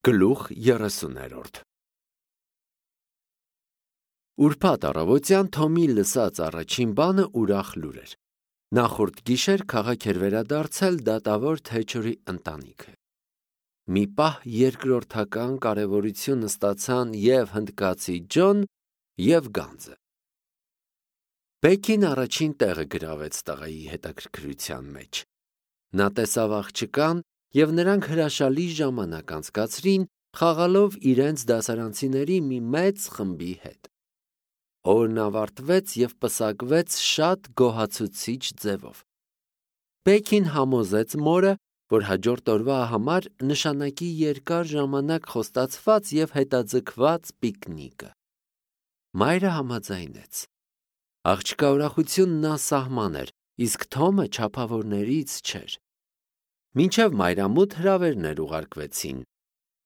Գլուխ 30-րդ Ուրբաթ առավոտյան Թոմի լսած առաջին բանը ուրախ լուր էր։ Նախորդ գիշեր քաղաք էր վերադարձել դատավոր Թեչերի ընտանիքը։ Մի պահ երկրորդական կարևորություն ստացան և հնդկացի Ջոն և Գանձը։ Բեքին առաջին տեղը գրավեց տղայի հետաքրքրության մեջ։ Նա տեսավ աղջկան և նրանք հրաշալի ժամանակ անցկացրին, խաղալով իրենց դասարանցիների մի մեծ խմբի հետ։ Օրն ավարտվեց և պսակվեց շատ գոհացուցիչ ձևով։ Բեքին համոզեց մորը, որ հաջորդ օրվա համար նշանակի երկար ժամանակ խոստացված և հետաձգված պիկնիկը։ Մայրը համաձայնեց։ Աղջկա ուրախությունն ասահման էր, իսկ Թոմը չափավորներից չէր։ Մինչև մայրամուտ հրավերներ ուղարկվեցին։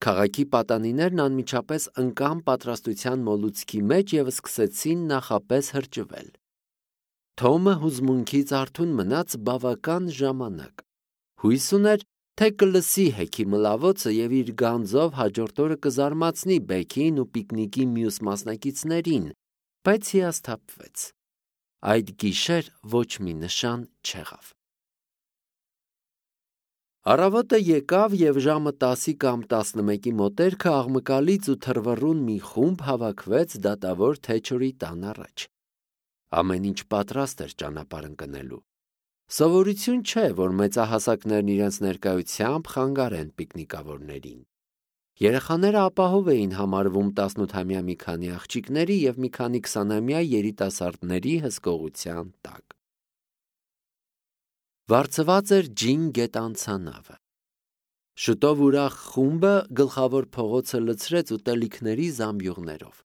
Քաղաքի պատանիներն անմիջապես ընկան պատրաստության մոլուցքի մեջ և սկսեցին նախապես հրճվել։ Թոմը հուզմունքից արթուն մնաց բավական ժամանակ։ Հույս ուներ, թե կլսի հեքի մլավոցը և իր գանձով հաջորդ օրը կզարմացնի Բեքին ու պիկնիկի մյուս մասնակիցներին, բայց հիասթափվեց։ Այդ գիշեր ոչ մի նշան չեղավ։ Առավոտը եկավ և ժամը 10 կամ 11-ի մոտերքը աղմկալից ու թռվռուն մի խումբ հավաքվեց դատավոր Թեչերի տան առաջ։ Ամեն ինչ պատրաստ էր ճանապարհ ընկնելու։ Սովորություն չէ, որ մեծահասակներն իրենց ներկայությամբ խանգարեն պիկնիկավորներին։ Երեխաները ապահով էին համարվում 18-ամյա մի քանի աղջիկների և մի քանի 20-ամյա երիտասարդների հսկողության տակ։ Վարձված էր ջին գետանցանավը։ Շուտով ուրախ խումբը գլխավոր փողոցը լցրեց ուտելիքների զամբյուղներով։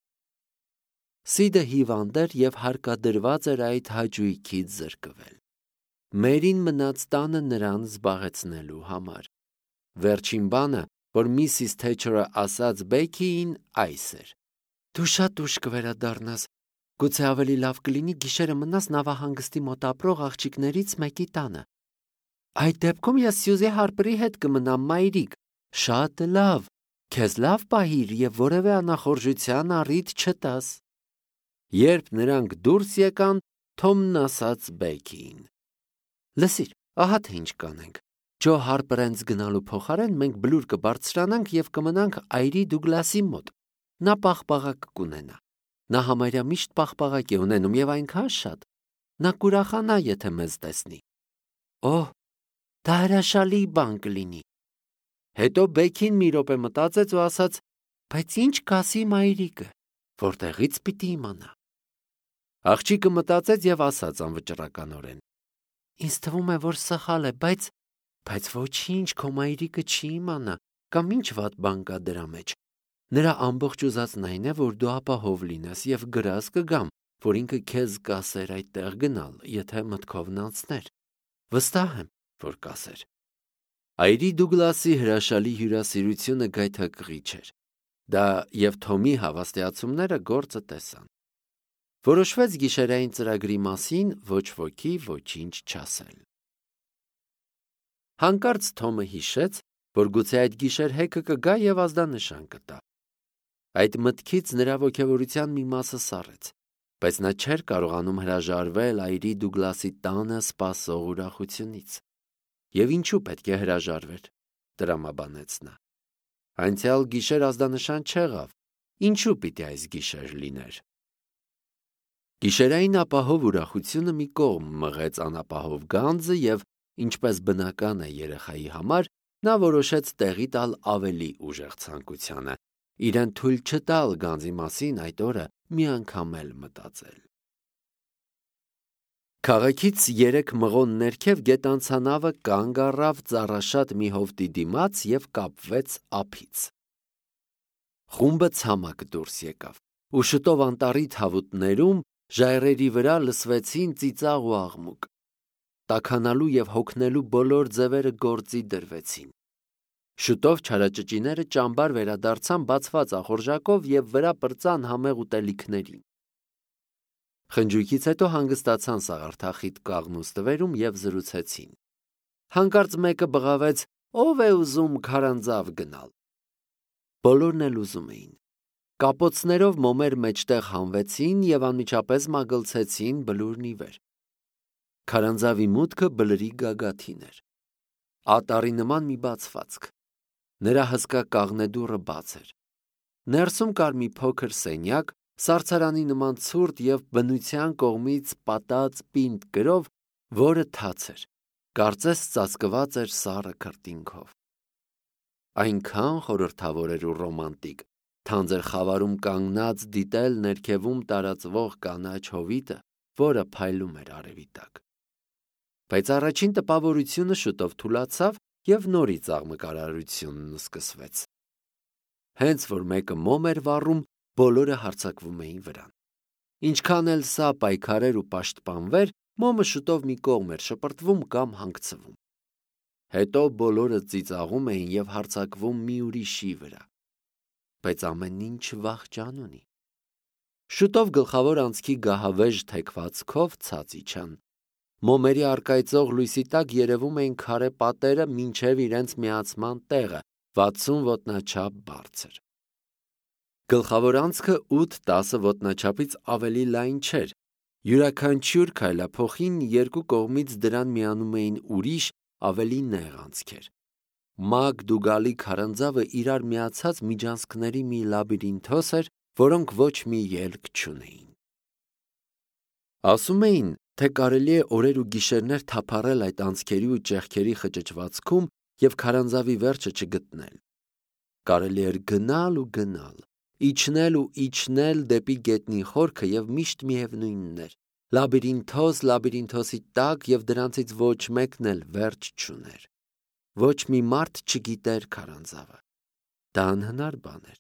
Սիդը հիվանդ էր և հարկադրված էր այդ հաճույքից զրկվել։ Մերին մնաց տանը նրան զբաղեցնելու համար։ Վերջին բանը, որ Միսիս Թեչերը ասաց Բեքիին, այս էր. «Դու շատ ուշ կվերադառնաս։ Գուցե ավելի լավ կլինի գիշերը մնաս նավահանգստի մոտ ապրող աղջիկներից մեկի տանը։ Այդ դեպքում ես Սյուզի Հարպերի հետ կմնամ, մայրիկ։ Շատ լավ, քեզ լավ պահիր և որևէ անախորժության առիթ չտաս»։ Երբ նրանք դուրս եկան, Թոմն ասաց Բեքիին. «Լսիր, ահա թե ինչ կանենք։ Ջո Հարպերենց գնալու փոխարեն մենք բլուր կբարձրանանք և կմնանք այրի Դուգլասի մոտ։ Նա պաղպաղակ կունենա։ Նա համարյա միշտ պաղպաղակ է ունենում և այնքան շատ։ Նա կուրախանա, եթե մեզ տեսնի։ Օհ, դա հրաշալի բան կլինի»։ Հետո Բեքին մի րոպե մտածեց ու ասաց. «Բայց ինչ կասի մայրիկը, որտեղից պիտի իմանա»։ Աղջիկը մտածեց և ասաց անվճռականորեն. «Ինձ թվում է, որ սխալ է, բայց ոչինչ, քո մայրիկը չի իմանա, կամ ինչ վատ բան կա դրա մեջ։ Նրա ամբողջ ուզածն այն է, որ դու ապահով լինես և գրազ կգամ, որ ինքը քեզ կասեր այդտեղ գնալ, եթե մտքովն անցներ։ Վստահ եմ, որ կասեր»։ Այրի Դուգլասի հրաշալի հյուրասիրությունը գայթակղիչ էր։ Դա և Թոմի հավաստիացումները գործը տեսան։ Որոշվեց գիշերային ծրագրի մասին ոչ ոքի ոչինչ չասել։ Հանկարծ Թոմը հիշեց, որ գուցե այդ գիշեր հեքը կգա և ազդանշան կտա։ Այդ մտքից նրա ոգևորության մի մասը սառեց, բայց նա չէր կարողանում հրաժարվել այրի Դուգլասի տանը սպասող ուրախությունից։ Եվ ինչու պետք է հրաժարվեր, տրամաբանեց նա։ Անցյալ գիշեր ազդանշան չեղավ, ինչու պիտի այս գիշեր լիներ։ Գիշերային ապահով ուրախությունը մի կողմ մղեց անապահով Գանձը և, ինչպես բնական է երեխայի համար, նա որոշեց տեղի տալ ավելի ուժեղ ցանկությանը, իրեն թույլ չտալ Գանձի մասին այդ օրը մի անգամ էլ մտածել։ Քաղաքից 3 մղոն ներքև գետանցանավը կանգ առավ ծառաշատ մի հովտի դիմաց և կապվեց ափից։ Խումբը ցամաք դուրս եկավ, ու շուտով անտառի թավուտներում ժայռերի վրա լսվեցին ծիծաղ ու աղմուկ։ Տաքանալու և հոգնելու բոլոր ձևերը գործի դրվեցին։ Շուտով չարաճճիները ճամբար վերադարձան բացված ախորժակով և վրա պրծան համեղ ուտելիքներին։ Խնջույքից հետո հանգստացան սաղարթախիտ կաղնու ստվերում և զրուցեցին։ Հանկարծ մեկը բղավեց. «Ո՞վ է ուզում քարանձավ գնալ»։ բոլորն էլ ուզում էին։ Կապոցներով մոմեր մեջտեղ հանվեցին և անմիջապես մագլցեցին բլուրն ի վեր։ Քարանձավի մուտքը բլրի գագաթին էր։ Ատառի նման մի բացվածք։ Նրա հսկա կաղնեդուռը բաց էր։ Ներսում կար մի փոքր սենյակ, սառցարանի նման ցուրտ և բնության կողմից պատած պինդ կրով, որը թաց էր, կարծես ծածկված էր սառը քրտինքով։ Այնքան խորհրդավոր էր ու ռոմանտիկ, թանձր խավարում կանգնած դիտել ներքևում տարածվող կանաչ հովիտը, որը փայլում էր արևի տակ։ Բայց առաջին տպավորությունը շուտով թուլացավ և նորից աղմկարարությունն սկսվեց։ Հենց որ մեկը մոմ էր վառում, բոլորը հարձակվում էին վրան։ Ինչքան էլ սա պայքարեր ու պաշտպանվեր, մոմը շուտով մի կողմ էր շպրտվում կամ հանգցվում։ Հետո բոլորը ծիծաղում էին և հարձակվում մի ուրիշի վրա։ Բայց ամեն ինչ վախճան ունի։ Շուտով գլխավոր անցքի գահավեժ թեքվածքով ցած իջան։ Մոմերի առկայծող լույսի տակ երևում էին քարե պատերը մինչև իրենց միացման տեղը, 60 ոտնաչափ բարձր։ Գլխավոր անցքը 8-10 ոտնաչափից ավելի լայն չէր։ Յուրաքանչյուր քայլափոխին երկու կողմից դրան միանում էին ուրիշ, ավելի նեղ անցքեր։ Մագ-դուգալի քարանձավը իրար միացած միջանցքների մի լաբիրինթոս էր, որոնք ոչ մի ելք չունեին։ Ասում էին, թե կարելի է օրեր ու գիշերներ թափառել այդ անցքերի ու ճեղքերի խճճվածքում և քարանձավի վերջը չգտնել։ Կարելի էր գնալ ու գնալ, իջնել ու իջնել դեպի գետնի խորքը և միշտ միևնույնն էր՝ լաբիրինթոսի տակ և դրանցից ոչ մեկն էլ վերջ չուներ։ Ոչ մի մարդ չգիտեր քարանձավը։ Դա անհնար բան էր։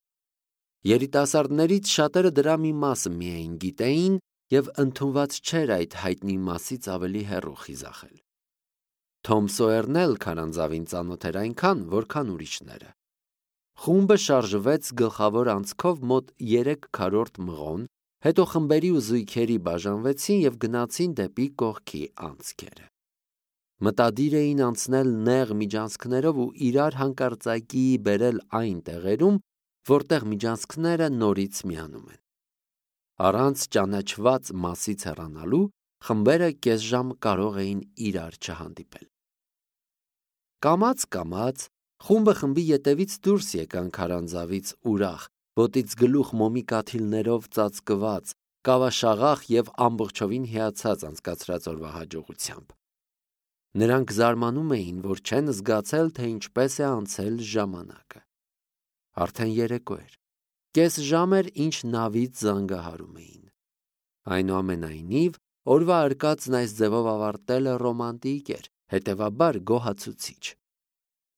Երիտասարդներից շատերը դրա մի մասը միայն գիտեին և ընդունված չէր այդ հայտնի մասից ավելի հեռու խիզախել։ Թոմ Սոյերն էլ քարանձավին ծանոթ էր այնքան, որքան ուրիշները։ Խումբը շարժվեց գլխավոր անցքով մոտ 3/4 մղոն, հետո խմբերի ու զույգերի բաժանվեցին և գնացին դեպի կողքի անցքերը։ Մտադիր էին անցնել նեղ միջանցքներով ու իրար հանկարծակի բերել այն տեղերում, որտեղ միջանցքները նորից միանում են։ Առանց ճանաչված մասից հեռանալու խմբերը կես ժամ կարող էին իրար չհանդիպել։ Կամաց-կամաց խումբը խմբի ետևից դուրս եկան քարանձավից ուրախ, ոտից գլուխ մոմի կաթիլներով ծածկված, կավաշաղախ և ամբողջովին հիացած անցկացրած օրվա հաջողությամբ։ Նրանք զարմանում էին, որ չեն զգացել, թե ինչպես է անցել ժամանակը։ Արդեն երեկո էր։ Կես ժամ էր, ինչ նավից զանգահարում էին։ Այնուամենայնիվ, օրվա արկածն այս ձևով ավարտելը ռոմանտիկ էր, հետևաբար գոհացուցիչ։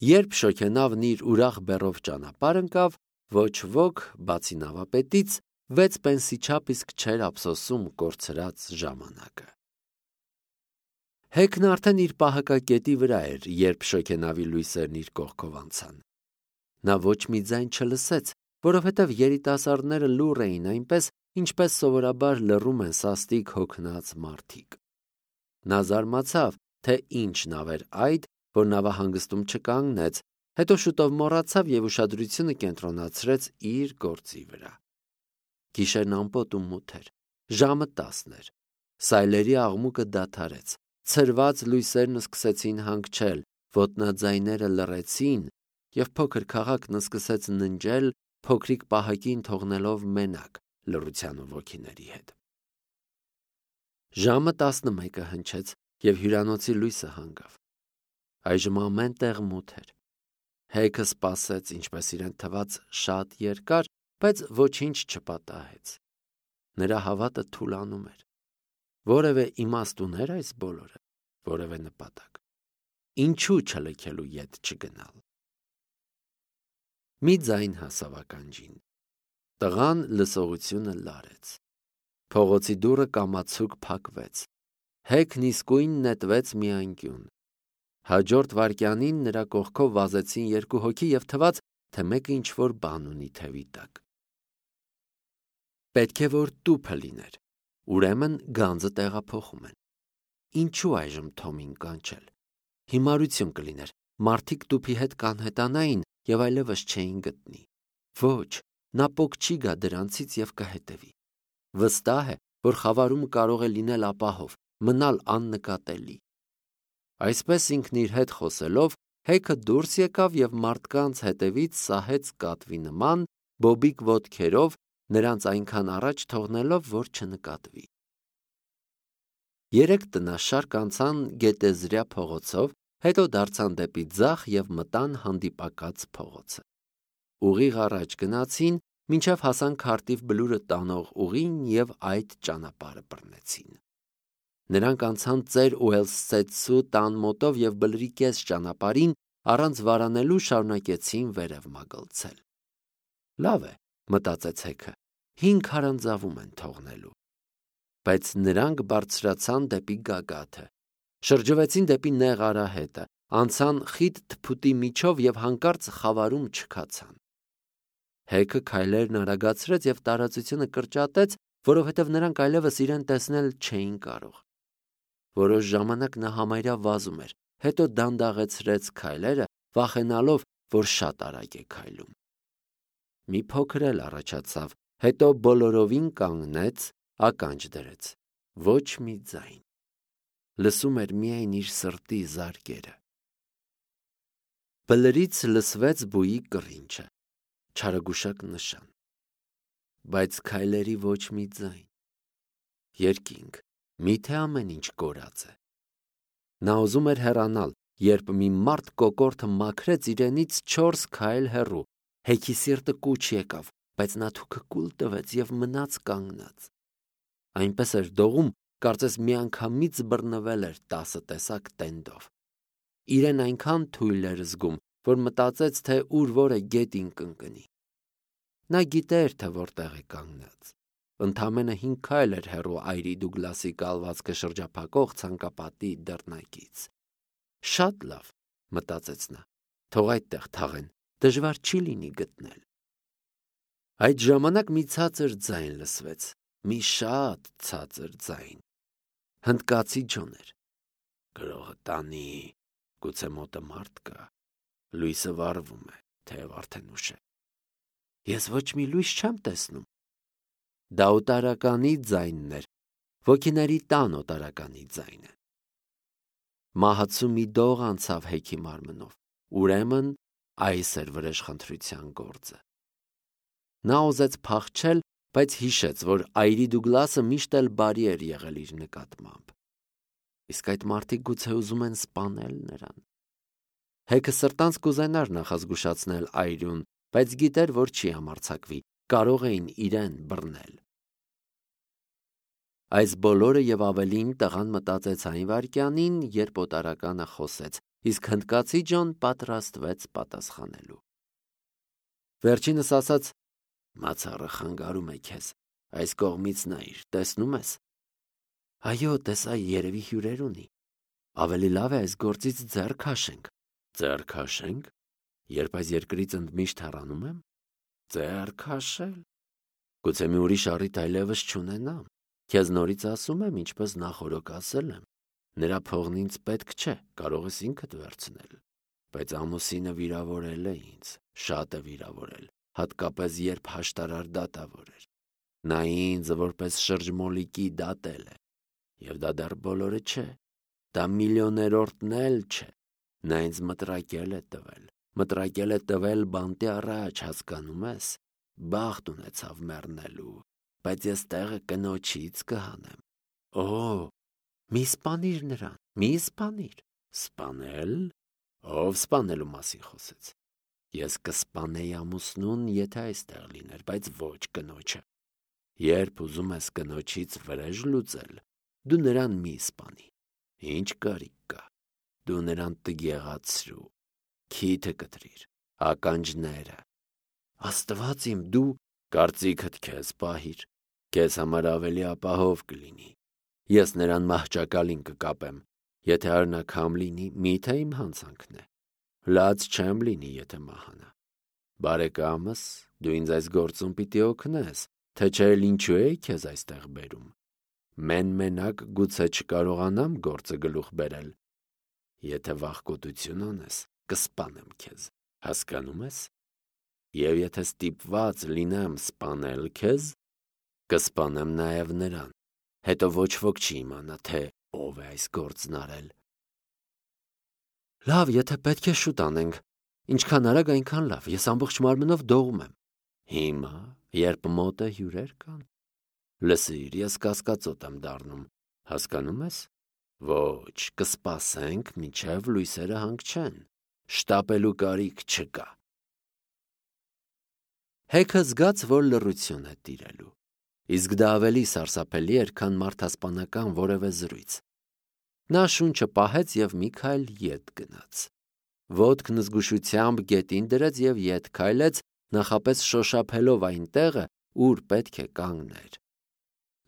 Երբ շոգենավն իր ուրախ բեռով ճանապարհ ընկավ, ոչ ոք, բացի նավապետից, 6 պենսի չափ իսկ չէր ափսոսում կորցրած ժամանակը։ Հեքն արդեն իր պահակակետի վրա էր, երբ շոգենավի լույսերն իր կողքով անցան։ Նա ոչ մի ձայն չլսեց, որովհետև երիտասարդները լուռ էին այնպես, ինչպես սովորաբար լռում են սաստիկ հոգնած մարդիկ։ Նա զարմացավ, թե ինչ նավ էր այդ, որ նավահանգստում չկանգնեց, հետո շուտով մոռացավ և ուշադրությունը կենտրոնացրեց իր գործի վրա։ Գիշերն ամպոտ ու մութ էր, ժամը 10 էր, սայլերի աղմուկը դադարեց, ցրված լույսերն սկսեցին հանգչել, ոտնաձայները լռեցին, և փոքր քաղաքն սկսեց ննջել, փոքրիկ պահակին թողնելով մենակ լռության ու ոգիների հետ։ Ժամը 11-ը հնչեց, և հյուրանոցի լույսը հանգավ։ Այժմ ամեն տեղ մութ էր։ Հեքը սպասեց, ինչպես իրեն թվաց, շատ երկար, բայց ոչինչ չպատահեց։ Նրա հավատը թուլանում էր։ Որևէ իմաստ ուներ այս բոլորը, որևէ նպատակ։ Ինչու չլքելու ետ չգնալ։ Մի ձայն հասավ ականջին։ Տղան լսողությունը լարեց։ Փողոցի դուռը կամացուկ փակվեց։ Հեքն իսկույն նետվեց մի անկյուն։ Հաջորդ վայրկյանին նրա կողքով վազեցին երկու հոգի և թվաց, թե մեկը ինչ-որ բան ունի թևի տակ։ Պետք է որ տուփը լիներ։ Ուրեմն գանձը տեղափոխում են։ Ինչու այժմ Թոմին կանչել։ Հիմարություն կլիներ, մարդիկ տուփի հետ կանհետանային և այլևս չէին գտնի։ Ոչ, նա պոկ չի գա դրանցից և կհետևի։ Վստահ է, որ խավարումը կարող է լինել ապահով, մնալ աննկատելի։ Այսպես ինքն իր հետ խոսելով, Հեքը դուրս եկավ և մարդկանց հետևից սահեց կատվի նման, բոբիկ ոտքերով, նրանց այնքան առաջ թողնելով, որ չնկատվի։ 3 տնաշարք անցան գետեզրյա փողոցով, հետո դարձան դեպի ձախ և մտան հանդիպակաց փողոցը։ Ուղիղ առաջ գնացին, մինչև հասան քարտիվ բլուրը տանող ուղին և այդ ճանապարհը բռնեցին։ Նրանք անցան ծեր Ուելսցեցու տան մոտով և բլրի կես ճանապարհին առանց վարանելու շարունակեցին վերև մագլցել։ Լավ է, մտածեց Հեքը, 5 քարանձավում են թողնելու։ Բայց նրանք բարձրացան դեպի գագաթը, շրջվեցին դեպի նեղ արահետը, անցան խիտ թփուտի միջով և հանկարծ խավարում չքացան։ Հեքը քայլերն արագացրեց և տարածությունը կրճատեց, որովհետև նրանք այլևս իրեն տեսնել չէին կարող։ Որոշ ժամանակ նա համարյա վազում էր, հետո դանդաղեցրեց քայլերը, վախենալով, որ շատ արագ է քայլում։ Մի փոքր էլ առաջացավ, հետո բոլորովին կանգնեց, ականջ դրեց։ Ոչ մի ձայն։ Լսում էր միայն իր սրտի զարկերը։ Բլրից լսվեց բույի կռինչը, չարագուշակ նշան։ Բայց քայլերի ոչ մի ձայն։ Երկինք, միթե ամեն ինչ կորած է։ Նա ուզում էր հեռանալ, երբ մի մարդ կոկորդը մաքրեց իրենից 4 քայլ հեռու։ Հեքի սիրտը կուչ եկավ, բայց նա թուքը կուլ տվեց և մնաց կանգնած։ Այնպես էր դողում, կարծես միանգամից բռնվել էր 10 տեսակ տենդով։ Իրեն այնքան թույլ էր զգում, որ մտածեց, թե ուր որ է գետին կընկնի։ Նա գիտեր, թե որտեղ է կանգնած։ Ընդամենը 5 քայլ էր հեռու այրի Դուգլասի կալվածքը շրջափակող ցանկապատի դռնակից։ Շատ լավ, մտածեց նա, թող այդտեղ թաղեն, դժվար չի լինի գտնել։ Այդ ժամանակ մի ցածր ձայն լսվեց, մի շատ ցածր ձայն։ Հնդկացի ջոն էր։ Գրողը տանի, գուցե մոտը մարդ կա, լույսը վառվում է, թեև արդեն ուշ է։ Ես ոչ մի լույս չեմ տեսնում։ Դա օտարականի ձայնն էր, ոգիների տան օտարականի ձայնը։ Մահացու մի դող անցավ Հեքի մարմնով, ուրեմն այս էր վրեժխնդրության գործը։ Նա ուզեց փախչել, բայց հիշեց, որ այրի Դուգլասը միշտ էլ բարի էր եղել իր նկատմամբ։ Իսկ այդ մարդիկ գուցե ուզում են սպանել նրան։ Հեքը սրտանց կուզենար նախազգուշացնել այրուն, բայց գիտեր, որ չի համարձակվի, կարող էին իրեն բռնել։ Այս բոլորը և ավելին տղան մտածեց այն վայրկյանին, երբ օտարականը խոսեց, իսկ հնդկացի ջոն պատրաստվեց պատասխանելու։ Վերջինս ասաց. «Մացառը խանգարում է քեզ, այս կողմից նայիր, տեսնում ես»։ Այո, տեսա, երևի հյուրեր ունի։ Ավելի լավ է այս գործից ձեռ քաշենք։ Ձեռ քաշենք, երբ այս երկրից ընդմիշտ հեռանում եմ։ Ձեռ քաշել։ Գուցե մի ուրիշ առիթ այլևս չունենամ։ Քեզ նորից ասում եմ, ինչպես նախօրոք ասել եմ, նրա փողն ինձ պետք չէ, կարող ես ինքդ վերցնել։ Բայց ամուսինը վիրավորել է ինձ, շատ է վիրավորել, հատկապես երբ հաշտարար դատավոր էր։ Նա ինձ որպես շրջմոլիկի դատել է։ Եվ դա դեռ բոլորը չէ, դա միլիոներորդն էլ չէ։ Նա ինձ մտրակել է տվել բանտի առաջ, հասկանում ես, բախտ ունեցավ մեռնելու, բայց ես տեղը կնոջից կհանեմ։ Օ, մի սպանիր նրան, մի սպանիր։ Սպանել։ Ով սպանելու մասին խոսեց։ Ես կսպանեի ամուսնուն, եթե այստեղ լիներ, բայց ոչ կնոջը։ Երբ ուզում ես կնոջից վրեժ լուծել, դու նրան մի սպանի։ Ինչ կարիք կա։ Դու նրան տգեղացրու, քիթը կտրիր, ականջները։ Աստված իմ, դու կարծիքդ քեզ պահիր, քեզ համար ավելի ապահով կլինի։ Ես նրան մահճակալին կկապեմ, եթե արնաքամ լինի, միթե իմ հանցանքն է։ Լաց չեմ լինի, եթե մահանա։ Բարեկամս, դու ինձ այս գործում պիտի օգնես, թե չէ ինչու էի քեզ այստեղ բերում։ Մենակ գուցե չկարողանամ գործը գլուխ բերել։ Եթե վախկոտություն անես, կսպանեմ քեզ, հասկանում ես։ Եվ եթե ստիպված լինեմ սպանել քեզ, կսպանեմ նաև նրան, հետո ոչ ոք չի իմանա, թե ով է այս գործն արել։ Լավ, եթե պետք է շուտ անենք, ինչքան արագ այնքան լավ, ես ամբողջ մարմնով դողում եմ։ Հիմա, երբ մոտը հյուրեր կան, լսիր, ես կասկածոտ եմ դառնում, հասկանում ես։ Ոչ, կսպասենք, մինչև լույսերը հանգչեն, շտապելու կարիք չկա։ Հեքը զգաց, որ լռություն է տիրելու, իսկ դա ավելի սարսափելի էր, քան մարդասպանական որևէ զրույց։ Նա շունչը պահեց և մի քայլ ետ գնաց։ Ոտքն զգուշությամբ գետին դրեց և ետ քայլեց, նախապես շոշափելով այն տեղը, ուր պետք է կանգներ։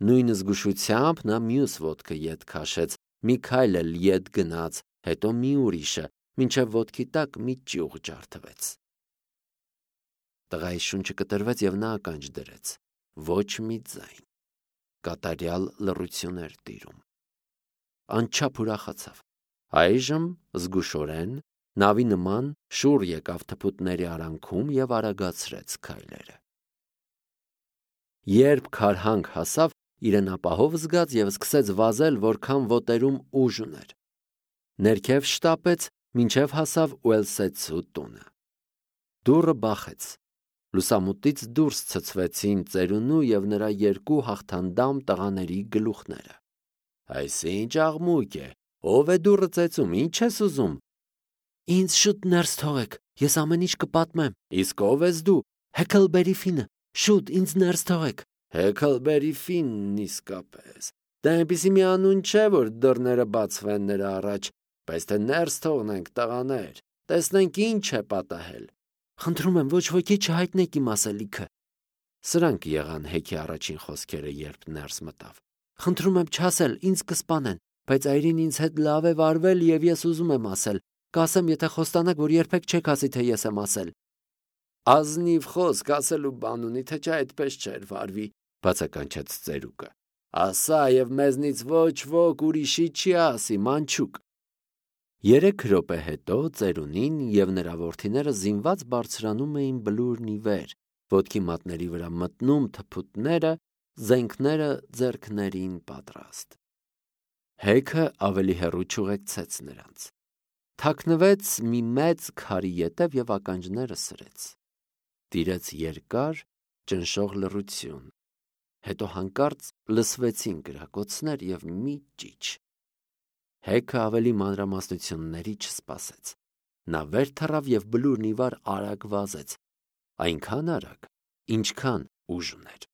Նույն զգուշությամբ նա մյուս ոտքը ետ քաշեց, մի քայլ էլ ետ գնաց, հետո մի ուրիշը, մինչև ոտքի տակ մի ճյուղ ջարդվեց։ Տղայի շունչը կտրվեց և նա ականջ դրեց։ Ոչ մի ձայն։ Կատարյալ լռություն էր տիրում։ Անչափ ուրախացավ։ Այժմ զգուշորեն նավի նման շուռ եկավ թփուտների արանքում և արագացրեց քայլերը։ Երբ քարհանք հասավ, իրեն ապահով զգաց և սկսեց վազել, որքան ոտերում ուժ ուներ։ Ներքև շտապեց, մինչև հասավ Ուելսեթսու տունը։ Դուռը բախեց։ Լուսամուտից դուրս ցցվեցին ծերունու և նրա երկու հաղթանդամ տղաների գլուխները։ Այս ինչ աղմուկ է, ով է դուռը ծեծում, ինչ ես ուզում։ Ինձ շուտ ներս թողեք, ես ամեն ինչ կպատմեմ։ Իսկ ով ես դու։ Հեքլբերի Ֆինը, շուտ ինձ ներս թողեք։ Հեքլբերի Ֆինն իսկապես։ Դա այնպիսի մի անուն չէ, որ դռները բացվեն նրա առաջ, բայց թե ներս թողնենք, տղաներ, տեսնենք ինչ է պատահել։ Խնդրում եմ, ոչ ոքի չհայտնեք իմ ասելիքը։ Սրանք եղան Հեքի առաջին խոսքերը, երբ ներս մտավ։ Խնդրում եմ չասել, ինձ կսպանեն, բայց այրին ինձ հետ լավ է վարվել և ես ուզում եմ ասել։ Կասեմ, եթե խոստանաք, որ երբեք չեք ասի, թե ես եմ ասել։ Ազնիվ խոսք ասելու բան ունի, թե չէ այդպես չէր վարվի, բացականչեց ծերուկը։ Ասա և մեզնից ոչ ոք ուրիշի չի ասի, մանչուկ։ 3 րոպե հետո ծերունին և նրա որդիները զինված բարձրանում էին բլուրն ի վեր, ոտքի մատների վրա մտնում թփուտները, զենքները ձեռքներին պատրաստ։ Հեքը ավելի հեռու չուղեկցեց նրանց։ Թաքնվեց մի մեծ քարի ետև և ականջները սրեց։ Տիրեց երկար, ճնշող լռություն, հետո հանկարծ լսվեցին կրակոցներ և մի ճիչ։ Հեքը ավելի մանրամասնությունների չսպասեց։ Նա վեր թռավ և բլուրն ի վար արագ վազեց, այնքան արագ, ինչքան ուժ ուներ։